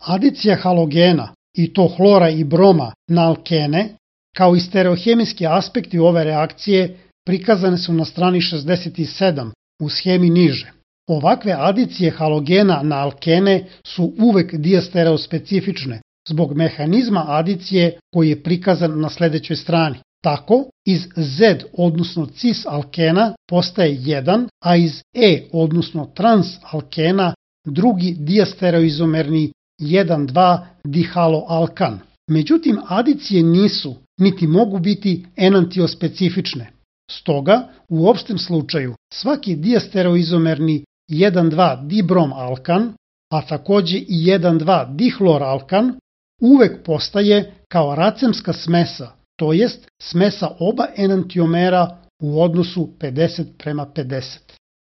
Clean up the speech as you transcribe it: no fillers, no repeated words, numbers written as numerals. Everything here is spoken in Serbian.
Adicija halogena, i to hlora i broma, na alkene, kao i stereohemijski aspekti ove reakcije prikazane su na strani 67 u schemi niže. Ovakve adicije halogena na alkene su uvek diastereospecifične zbog mehanizma adicije koji je prikazan na sledećoj strani. Tako, iz Z odnosno cis alkena postaje 1, a iz E odnosno trans alkena drugi diastereoizomerni 1,2 dihaloalkan. Međutim, adicije nisu, niti mogu biti enantiospecifične. Stoga, u opštem slučaju, svaki diastereoizomerni 1,2 dibromalkan, a takođe i 1,2 dihloralkan, uvek postaje kao racemska smesa, to jest smesa oba enantiomera u odnosu 50:50.